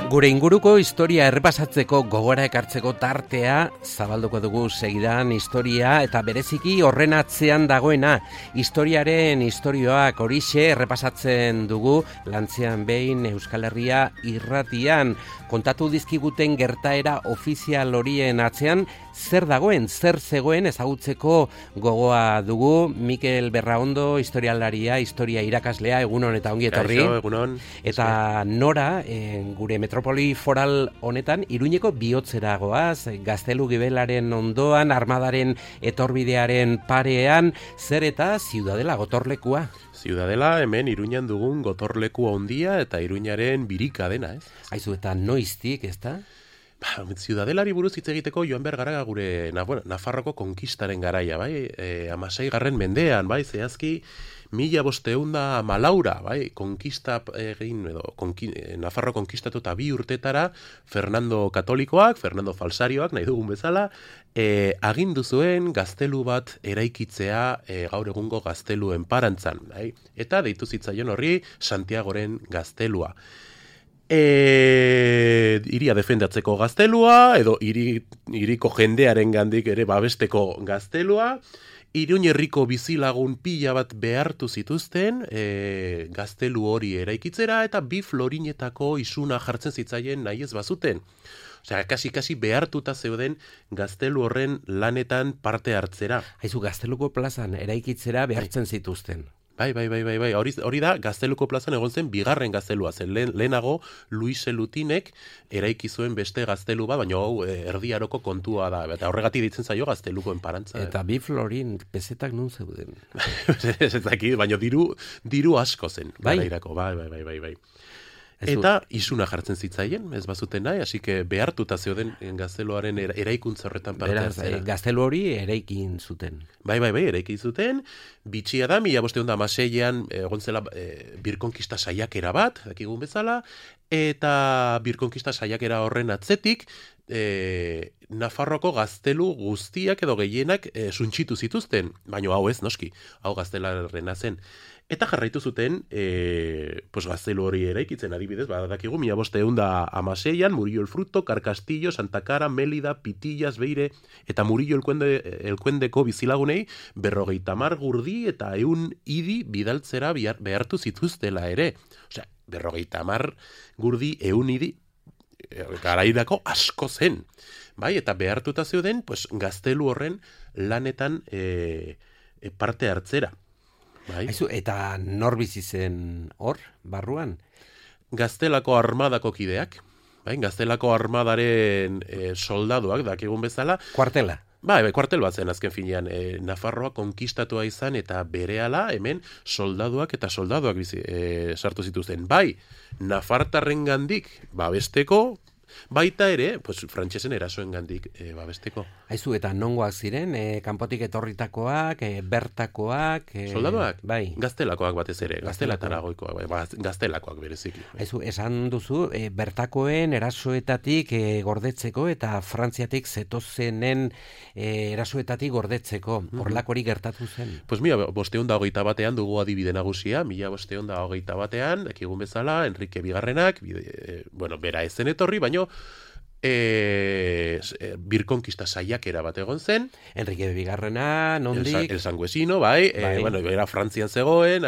Gure inguruko historia errepasatzeko gogora ekartzeko tartea zabalduko dugu segidan historia eta bereziki horren atzean dagoena historiaren istorioak horixe errepasatzen dugu Lantzean behin Euskal Herria irratian kontatu dizkiguten gertaera ofizial horien atzean zer dagoen, zer zegoen ezagutzeko gogoa dugu. Mikel Berraondo historialaria, historia irakaslea, egunon eta ongi etorri. Kaixo, egunon. Eta nora, gure metropoli foral honetan, Iruñeko bihotzera goaz, Gaztelu Gibelaren ondoan, armadaren etorbidearen parean, zer eta Ziudadela gotorlekua? Ziudadela hemen Iruñan dugun gotorleku handia eta Iruñaren birika dena, ez? Aizu, eta noiztik, ezta? Ziudadelari buruz hitz egiteko joan behar gara gure Nafarroko konkistaren garaia, bai? 16. mendean, bai? Zehazki 1514, bai? Konkista egin edo Nafarro konkistatu eta 2 urtetara Fernando Katolikoak, Fernando Falsarioak, nahi dugun bezala, agindu zuen gaztelu bat eraikitzea gaur egungo gazteluen parantzan, bai? Eta deitu zitzaion horri Santiagoren gaztelua. Iria defendatzeko gaztelua, edo iriko jendearen gandik ere babesteko gaztelua, Iruñ herriko bizilagun pila bat behartu zituzten gaztelu hori eraikitzera eta 2 florinetako isuna jartzen zitzaien nahi ez bazuten. Osea, kasi behartuta zeuden gaztelu horren lanetan parte hartzera. Aizu, Gazteluko plazan eraikitzera behartzen zituzten. Bai. Hori da, Gazteluko plazan egon zen 2. gaztelua. Zen lehenago Luis Elutinek eraiki zuen beste gaztelu bat, baina hau Erdi Aroko kontua da. Eta horregatik ditzen zaio Gaztelukoen parantza. Eta 2 florin pesetak nun zeuden. Ez dakit, baina diru asko zen. Bai? Garairako, bai. Eta isuna jartzen zitzaien, ez bazuten nahi, hasi que behartuta zeuden gazteluaren eraikuntza horretan parte hartzera. Gaztelu hori eraikin zuten. Bai, eraikin zuten. Bitxia da, 1516an egon zela birkonkista saiakera bat, dakigun bezala, eta birkonkista saiakera horren atzetik, Nafarroko gaztelu guztiak edo gehienak suntxitu zituzten, baina hau ez, noski, hau gaztelarrena zen. Eta jarraitu zuten gaztelu hori eraikitzen, adibidez, badakigu 1516an Murillo el Fruto, Carcastillo, Santa Cara, Mélida, Pitillas, Beire eta Murillo elkuendeko bizilagunei 50 gurdi eta 100 idi bidaltzera behartu zituztela ere. Osea, 50 gurdi, 100 idi garairako asko zen. Bai, eta behartuta zeuden gaztelu horren lanetan parte hartzera. Bai. Aizu, eta nor bizi zen hor, barruan? Gaztelako armadako kideak, bai? Gaztelako armadaren soldaduak, dakigun bezala. Kuartela? Bai, kuartel bat zen azken finean. Nafarroa konkistatua izan eta berehala hemen soldaduak sartu zituzten. Bai, Nafartarren gandik babesteko, baita ere, frantsesen erasoen gandik babesteko. Aizu, eta nongoak ziren, kanpotik etorritakoak, bertakoak... Soldaduak? Bai. Gaztelakoak batez ere, gaztelataragoikoak, gaztelakoak bereziki. Aizu, esan duzu, bertakoen erasoetatik gordetzeko eta Frantziatik zetozenen erasoetatik gordetzeko. Horlakori gertatu zen? 1521 dugu adibide nagusia, 1521 dakigun bezala, Enrique Bigarrenak, bera ezen etorri, baino birkonkista saiakera bat egon zen. Enrique Bigarrena, nondik? El Sanguesino, bai. Era Frantzian zegoen,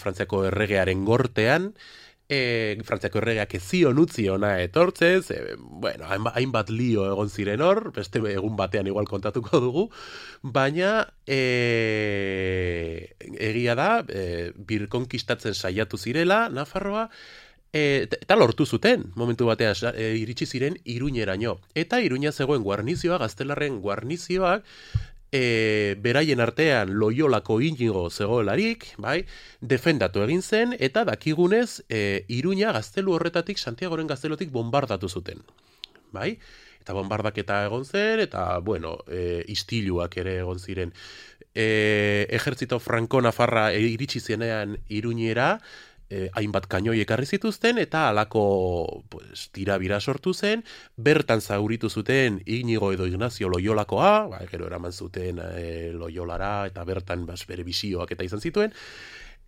Frantziako erregearen gortean, Frantziako erregeak ezion utzi ona etortzez, hainbat lio egon ziren hor, beste egun batean igual kontatuko dugu, baina egia da, birkonkistatzen saiatu zirela, Nafarroa, eta lortu zuten, momentu batean iritsi ziren Iruñeraino. Eta Iruña zegoen guarnizioa, gaztelarren guarnizioak, beraien artean Loiolako Inigo zegoelarik, bai, defendatu egin zen, eta dakigunez Iruña gaztelu horretatik, Santiagoren gaztelotik bombardatu zuten. Bai? Eta bombardaketa egon zen, eta, istiluak ere egon ziren. Ejertzito Franco-Nafarra iritsi zenean Iruñera, hainbat kainoi ekarri zituzten eta halako tirabira sortu zen, bertan zauritu zuten Inigo edo Ignacio Loiolakoa, gero eraman zuten Loiolara eta bertan bere bisioak eta izan zituen,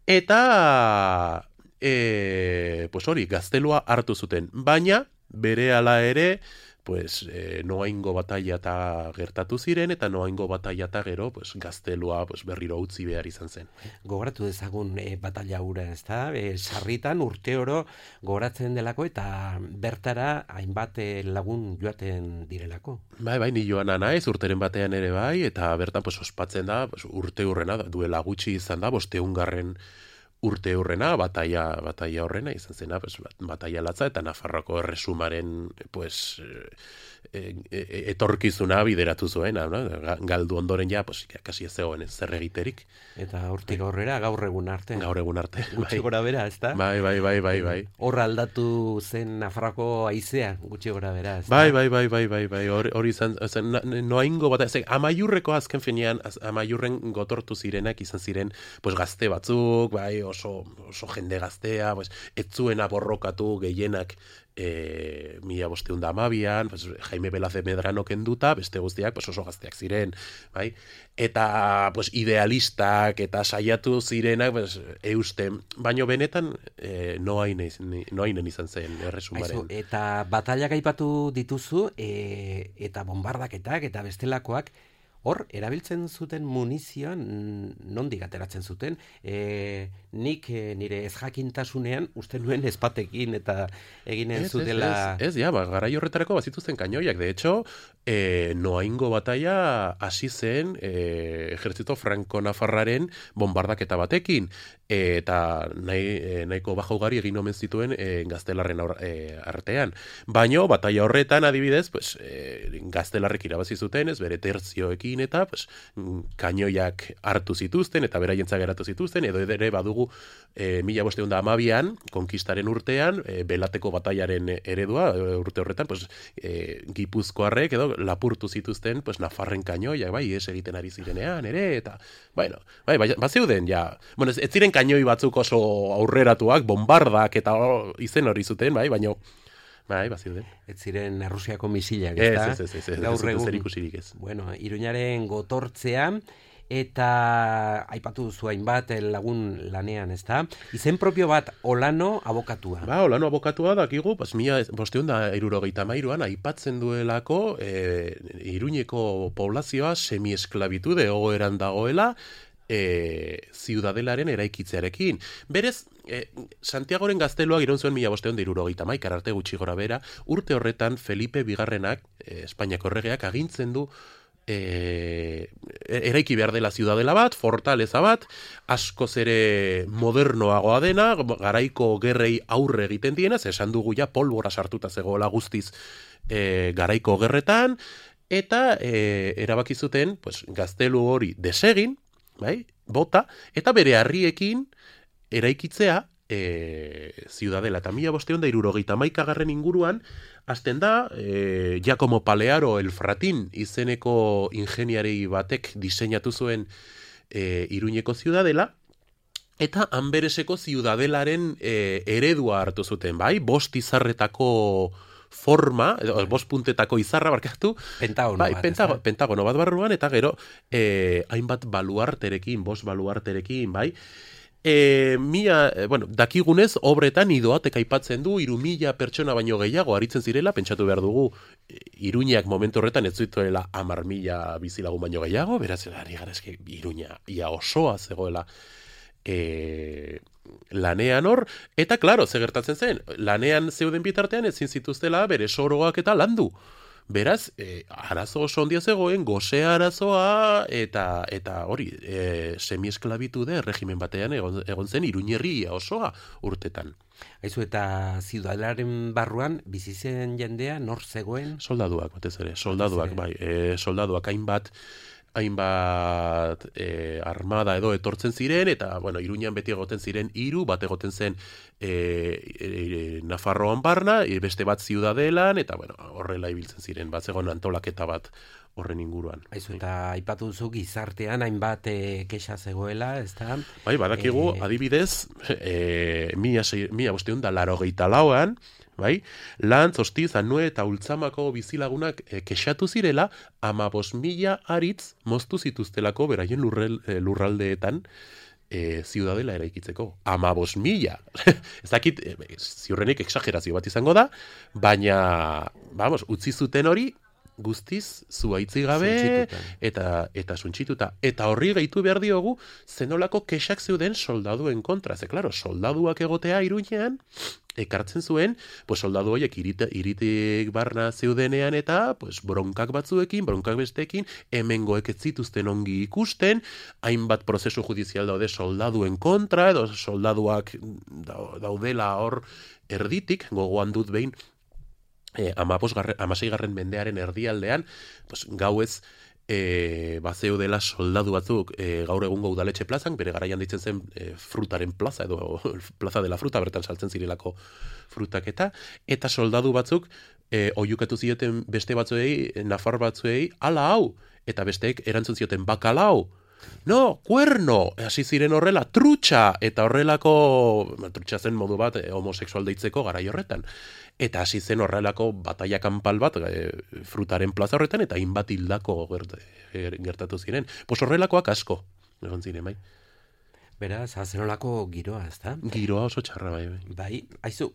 eta pues hori, gaztelua hartu zuten. Baina, berehala ere, pues noaingo bataila eta gertatu ziren, eta noaingo bataila eta gero pues, gaztelua pues, berriro utzi behar izan zen. Gogoratu dezagun bataila hura, ez da? Sarritan urte oro gogoratzen delako eta bertara hainbat lagun joaten direlako. Bai, ni joana naiz, urteren batean ere bai, eta bertan pues, ospatzen da, pues, urte hurrena, duela gutxi izan da, 500. Urte hurrena, bataia horrena izan zena, pues, bataia latza eta Nafarroako erresumaren pues, etorkizuna bideratu zuen, no? Galdu ondoren ja, pues, kasi ez zegoen zer egiterik. Eta hortik aurrera gaur egun arte. Gaur egun arte. Gutxi gora bera, ez da? Bai. Hor aldatu zen Nafarroako haizea, gutxi gora bera, ez da? Bai. Hori izan, noaingo bata, Amaiurreko azken finean, Amaiurren gotortu zirenak izan ziren, pues, gazte batzuk, bai, oso jende gaztea, pues, ez zuena borrokatu gehienak 1512an, pues, Jaime Velaz de Medrano kenduta, beste guztiak pues, oso gazteak ziren, bai? Eta pues, idealistak eta saiatu zirenak pues, eusten, baino benetan noainen izan zen erresumaren. Eta batallak aipatu dituzu, eta bombardaketak eta bestelakoak, hor, erabiltzen zuten munizioan, nondik ateratzen zuten, nik nire ezjakintasunean uste nuen ezpatekin eta eginen zutela... Ez, garai horretarako bazituzten kainoiak. De hecho, noaingo bataia hasi zen ejertzito franko-nafarraren bombardaketa batekin, eta nahiko baja ugari egin omen zituen gaztelarren artean. Baino, bataia horretan adibidez, pues, gaztelarrek irabazi zuten, ez bere tertzioekin, eta pues, kainoiak hartu zituzten eta beraientza geratu zituzten, edo ere badugu 1512an, konkistaren urtean, Belateko batailaren eredua, urte horretan, pues, Gipuzkoarrek edo lapurtu zituzten pues, Nafarren kainoiak, bai, ez egiten ari zirenean, ere, eta, bueno, bazeuden, ja, bueno, ez ziren kainoi batzuk oso aurreratuak, bombardak eta izen hori zuten, bai, baino, bai, baziuden. Ez ziren Errusiako misilak, ez da? Ez, gaur egun. zer ikusirik ez. Bueno, Iruñaren gotortzea, eta aipatu duzu hainbat lagun lanean, ez da? Izen propio bat, Olano abokatua. Olano abokatua dakigu, 1573an aipatzen duelako Iruñeko poblazioa semi-esklabitude egoeran dagoela, ziudadelaren eraikitzearekin. Berez, Santiagoren gazteluak iraun zuen 1571 arte gutxi gora bera, urte horretan Felipe Bigarrenak, Espainiako erregeak, agintzen du eraiki behar dela ziudadela bat, fortaleza bat, askoz ere modernoagoa dena, garaiko gerrei aurre egiten diena, esan dugu ja polbora sartuta zegoela guztiz garaiko gerretan, eta erabaki zuten pues, gaztelu hori desegin, bai, bota, eta bere harriekin eraikitzea ziudadela. Eta 1571 inguruan, hasten da, Giacomo Palearo el Fratin izeneko ingeniari batek diseinatu zuen Iruñeko ziudadela, eta Anbereseko ziudadelaren eredua hartu zuten, bai, 5 izarretako forma, edo 5 puntetako izarra barkatu. Pentagono bat. Pentagono bat barruan, eta gero hainbat baluarterekin, 5 baluarterekin, bai. Dakigunez, obretan Idoatek aipatzen du 3.000 pertsona baino gehiago aritzen zirela, pentsatu behar dugu Iruñak momentu horretan ez zuituela 10.000 bizilagun baino gehiago, beraz, ari gara eske Iruña ia osoa zegoela lanean hor, eta klaro, ze gertatzen zen, lanean zeuden bitartean ezin zituztela bere soroak eta landu. Beraz, arazo oso ondia zegoen, gose arazoa, eta hori, semi-esklabitude regimen batean egon zen Iruñerria osoa urtetan. Aizu, eta ziudadelaren barruan, bizi zen jendea, nor zegoen? Soldaduak, batez ere, soldaduak, bai, soldaduak hainbat armada edo etortzen ziren, eta, bueno, Iruñan beti egoten ziren 3, bat egoten zen Nafarroan barna, beste bat ziudadelan, eta, bueno, horrela ibiltzen ziren, bat zegoen antolaketa bat horren inguruan. Aizu, eta aipatu duzu gizartean hainbat kexa zegoela, ez da? Bai, badakigu, adibidez, 1584an, bai, Lantz, Ostiz, Anue eta Ultzamako bizilagunak kexatu zirela 15.000 aritz moztu zituztelako beraien lurraldeetan ziudadela eraikitzeko. 15.000. Ez dakit, ziurrenik exagerazio bat izango da, baina, vamos, utzi zuten hori, guztiz zuaitzi gabe eta suntsituta. Eta horri gehitu behar diogu zenolako kexak zeuden soldaduen kontra. Ze, klaro, soldaduak egotea Iruñean, ekartzen zuen, pues soldadu horiek iritik barna zeudenean eta pues bronkak batzuekin, bronkak besteekin, hemengoek ez zituzten ongi ikusten, hainbat prozesu judizial daude soldaduen kontra, edo soldaduak daudela hor erditik, gogoan dut behin, 16. mendearen erdialdean, pues, gauez bazeudela soldadu batzuk gaur egungo udaletxe plazan, bere garaian ditzen zen frutaren plaza, edo plaza de la fruta, bertan saltzen zirelako frutak eta soldadu batzuk oiukatu zioten beste batzuei, nafar batzuei, ala hau, eta besteek erantzun zioten bakalau, no, cuerno, hasi ziren horrela, trutxa, eta horrelako, trutxa zen modu bat homosexual deitzeko garai horretan. Eta hasi zen horrelako bataia kanpal bat frutaren plaza horretan, eta hainbat hildako gertatu ziren. Pues horrelakoak asko, egon ziren, bai. Beraz, zenolako giroa, ez da? Giroa oso txarra, bai. Bai, haizu,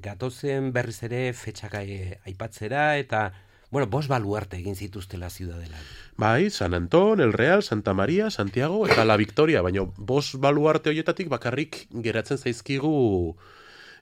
gatozen berriz ere fetxak aipatzera, eta, bueno, 5 baluarte egin zituztela ziudadela. Bai, San Anton, El Real, Santa Maria, Santiago, eta La Victoria, baina 5 baluarte horietatik bakarrik geratzen zaizkigu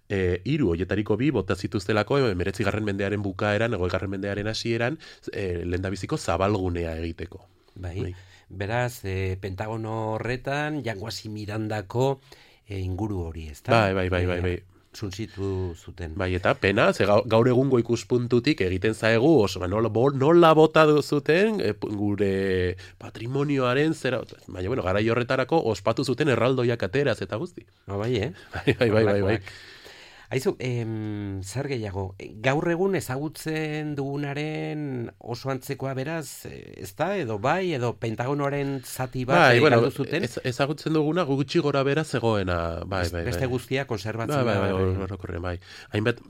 3 horietariko 2 bota zituztelako 19. mendearen bukaeran, 20. mendearen hasieran, lehendabiziko zabalgunea egiteko. Bai. Beraz, Pentagono horretan, Jangoasi Mirandako inguru hori, ez da? Bai. Suntsitu zuten. Bai, eta pena, ze gaur egungo ikuspuntutik egiten zaigu, oso, nola bota zuten gure patrimonioaren zera, baina, bueno, garai horretarako ospatu zuten erraldoiak ateraz eta guzti. Bai. Bai. Aizu, zer gehiago, gaur egun ezagutzen dugunaren oso antzekoa beraz, ez da, edo bai, edo Pentagonoaren zati bat galdu zuten? Ezagutzen duguna gutxi gora bera zegoena, bai. Beste guztia konserbatzen da. Bai. Hainbat,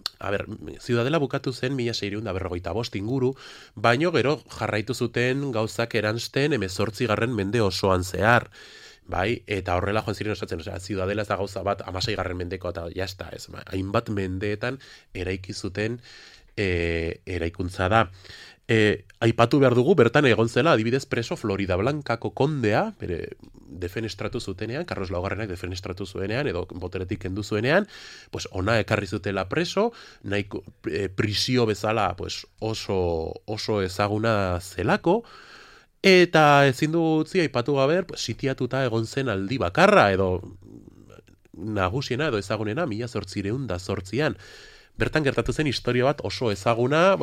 ziudadela bukatu zen 1645 inguru, baino gero jarraitu zuten gauzak eransten 18. mende osoan zehar. Bai, eta horrela joan ziren osatzen, ziudadela ez da gauza bat 16. mendeko eta jazta, ez, hainbat mendeetan eraiki zuten eraikuntza da. Aipatu behar dugu, bertan egon zela, adibidez preso Florida Blancako kondea, bere defenestratu zutenean, Carlos Laugarrenak defenestratu zuenean, edo boteretik kendu zuenean, pues ona ekarri zutela preso, nahiko prisio bezala pues, oso ezaguna zelako, eta ezin du utzi aipatu gabe, pues, sitiatuta egon zen aldi bakarra, edo nagusiena, edo ezagunena, 1808an. Bertan gertatu zen historia bat oso ezaguna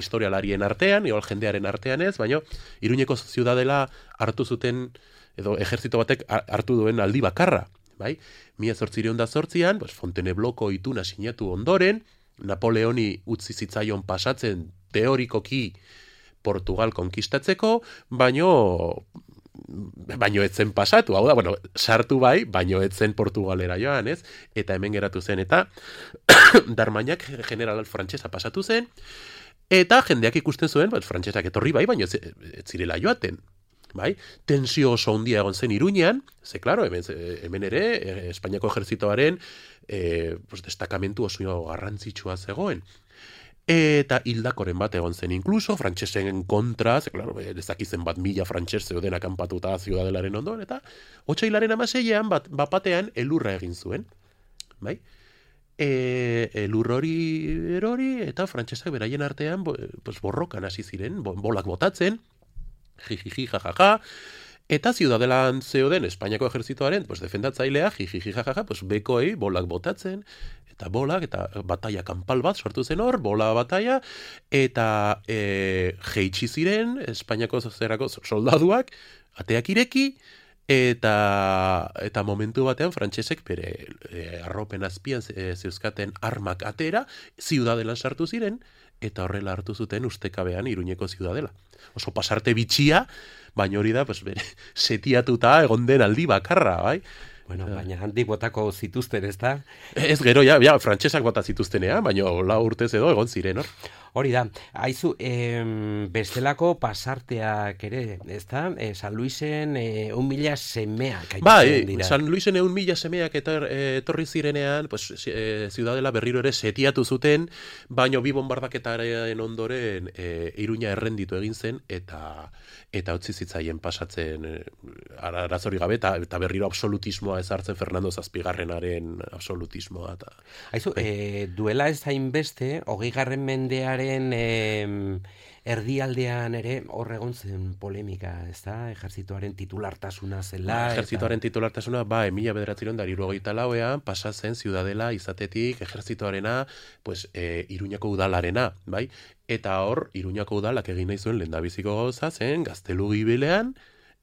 historialarien artean, igual jendearen artean ez, baina Iruñeko ziudadela hartu zuten, edo ejertzito batek hartu duen aldi bakarra. Bai? 1808an, pues, Fontainebleauko ituna sinatu ondoren, Napoleoni utzi zitzaion pasatzen teorikoki Portugal konkistatzeko, baino etzen pasatu, hau da, bueno, sartu bai, baino etzen Portugalera joan, ez? Eta hemen geratu zen, eta Darmagnac general frantsesa pasatu zen, eta jendeak ikusten zuen, frantsesak etorri bai, baino ez zirela joaten. Bai? Tensio oso handia egon zen Iruñean, ze, claro, hemen ere, Espainiako ejertzitoaren destakamentu oso garrantzitsua zegoen. Eta hildakoren bat egon zen inkluso, frantsesen kontra, ze, claro, dezakizen 1.000 frantses zeuden akanpatuta ziudadelaren ondoan, eta otsailaren 16an bapatean elurra egin zuen. Bai? Elur hori erori, eta frantsesak beraien artean borrokan hasi ziren, bolak botatzen, jijiji, jajaja, eta ziudadelan zeuden Espainiako ejertzitoaren defendatzailea, jijiji, jajaja, bekoei bolak botatzen, eta bolak, eta bataia kanpal bat sortu zen hor, bola bataia, eta jeitsi ziren Espainiako zerako soldaduak, ateak ireki, eta momentu batean frantsesek bere arropen azpian zeuzkaten armak atera, ziudadelan sartu ziren, eta horrela hartu zuten ustekabean Iruñeko ziudadela. Oso pasarte bitxia, baina hori da, bere, setiatuta egon den aldi bakarra, bai? Bueno, baina handik botako zituzten, ez da? Ez gero, frantsesak bota zituztenean, baina 4 urtez edo egon ziren, hor? Hori da, haizu, bestelako pasarteak ere, ezta? San Luisen 1.000 semeak aipatzen dira. San Luisen 1.000 semeak etorri zirenean, pues, Ciudadela berriro ere setiatu zuten, baino bi bombardaketaren ondoren Iruña errenditu egin zen, eta utzi zitzaien pasatzen arazori gabe, eta berriro absolutismoa ezartzen Fernando Zazpigarrenaren absolutismoa. Haizu, duela ez hainbeste, 20. mendearen erdialdean ere hor egon zen polemika, ezta? Ejertzitoaren titulartasuna zela. Ejertzitoaren titulartasuna, 1974ean pasa zen Ciudadela izatetik ejertzitoarena, pues, Iruñako udalarena, bai? Eta hor, Iruñako udalak egin nahi zuen lehendabiziko gauza zen, Gaztelu Gibilean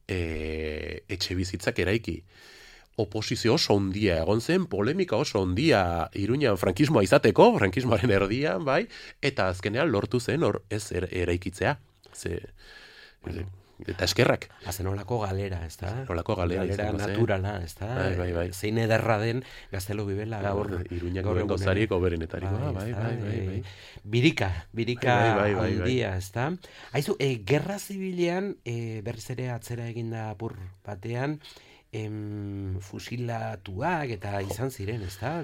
etxe bizitzak eraiki. Oposizio oso ondia egon zen, polemika oso ondia Iruñan frankismoa izateko, frankismoaren erdian, bai, eta azkenean lortu zen hor ez eraikitzea. Eta eskerrak. Azenolako galera, ez da? Nolako galera naturala, ez da? Bai. Zein ederra den Gaztelu Gibela gaur. Iruñako gauzarik oberenetarikoa, bai. Birika handia, ez da? Haizu, gerra zibilean, berriz ere atzera eginda apur batean, fusilatuak eta izan ziren, ez da?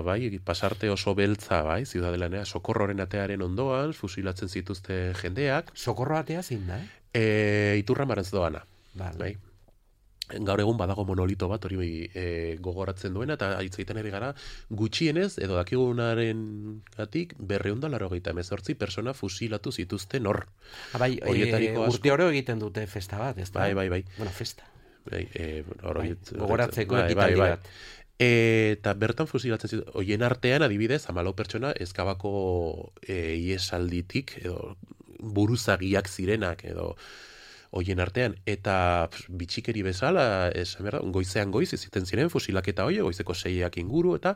Bai, pasarte oso beltza, bai, Ciudadelanea, Sokorroren atearen ondoan, fusilatzen zituzte jendeak. Sokorro atea zein da, Iturra Marantz doana, bai. Gaur egun badago monolito bat hori gogoratzen duena, eta hitz ari gara gutxienez, edo dakigunaren gatik, 288 persona fusilatu zituzten hor. Bai, urte oro egiten dute festa bat, ez da? Bai. Bueno, festa. Gogoratzeko ekitaldi bat. Eta bertan fusilatzen zitu, hoien artean adibidez, 14 pertsona Ezkabako iesalditik, edo buruzagiak zirenak, edo hoien artean, eta bitxikeri bezala, goizean goiz iziten ziren fusilaketa hoi, goizeko 6ak inguru, eta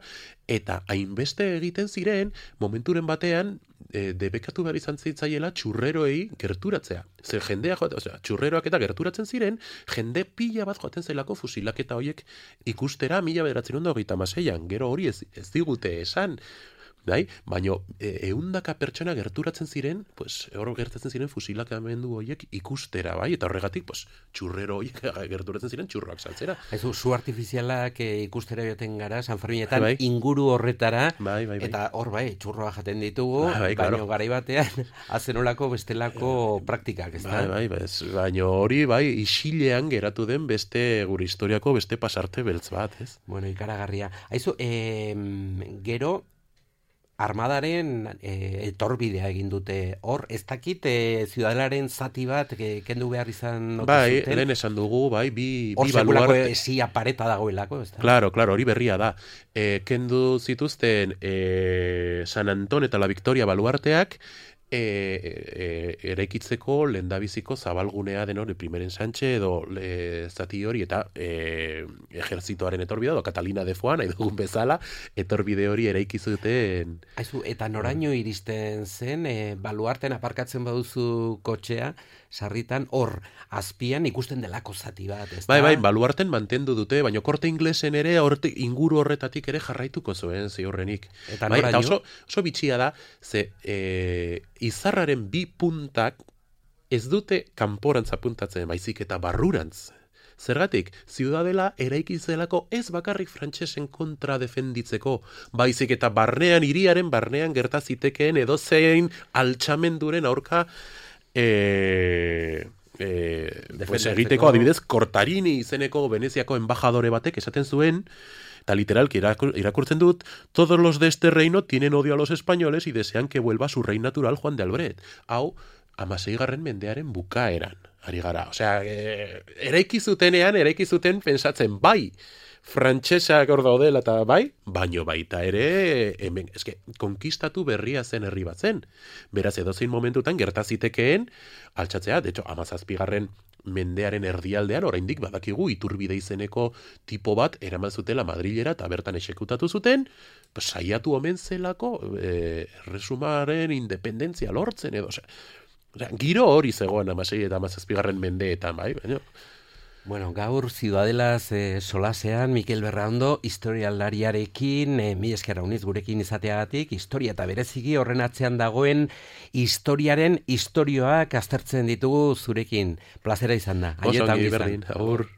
hainbeste egiten ziren, momenturen batean, debekatu behar izan zitzaiela txurreroei gerturatzea. Zer jendea txurreroak eta gerturatzen ziren, jende pila bat joaten zelako fusilaketa hoiek ikustera 1936an. Gero hori ez digute esan, bai? Baina 100 pertsona gerturatzen ziren, pues, hor gertatzen ziren fusilakamendu horiek ikustera, bai? Eta horregatik, pues, txurrero horiek gerturatzen ziren txurroak saltzera. Zu artifizialak ikustera joaten gara, San Ferminetan, inguru horretara, eta hor txurroa jaten ditugu, baina garai batean, azenolako bestelako praktikak, ez da? Baina hori, isilean geratu den beste, gure historiako beste pasarte beltz bat, ez? Bueno, ikaragarria. Haizu, gero, armadaren etorbidea egin dute hor, ez dakit Ciudadelaren zati bat kendu behar izan zuten? Lehen esan dugu, bi hor sekulako esia pareta dagoelako, ez da? Claro, hori berria da. Kendu zituzten San Anton eta la Victoria baluarteak, eraikitzeko lehendabiziko zabalgunea den hori primeren Sánchez edo zati hori eta ejerzitoaren etorbidea edo Catalina de Foix nahi dugun bezala etorbide hori eraikizuten. Aizu, eta noraino iristen zen baluarten aparkatzen baduzu kotxea sarritan hor azpian ikusten delako zati bat, ez da? Bai, baluarten mantendu dute, baina Korte Inglesen ere inguru horretatik ere jarraituko zuen ziurrenik. Eta noraino? Eta oso bitxia da, ze izarraren bi puntak ez dute kanporantz apuntatzen, baizik eta barrurantz. Zergatik, Ciudadela eraikizelako ez bakarrik frantsesen kontra defenditzeko, baizik eta hiriaren barnean gertazitekeen edozein altxamenduren aurka egiteko, adibidez, Cortarini izeneko Veneziako embajadore batek esaten zuen, eta literalki irakurtzen dut, todos los de este reino tienen odio a los españoles y desean que vuelva su rey natural Juan de Albret. Hau, 16. mendearen bukaeran, ari gara. Osea, eraiki zuten pensatzen, bai, frantsesak hor daudela eta baino baita ere, hemen, konkistatu berria zen herri bat zen. Beraz, edozein momentutan gertazitekeen, altxatzea, de hecho, 17. mendearen erdialdean, oraindik badakigu Iturbide izeneko tipo bat eraman zutela Madrilera eta bertan exekutatu zuten, saiatu omen zelako erresumaren independentzia lortzen edo, giro hori zegoen 16. eta 17. mendeetan, baina... Bueno, gaur Ciudadelaz solasean Mikel Berraondo historialariarekin mila esker uniz gurekin izateagatik, historia eta bereziki horren atzean dagoen historiaren istorioak aztertzen ditugu zurekin. Plazera izan da. Oso ongi berdin, agur.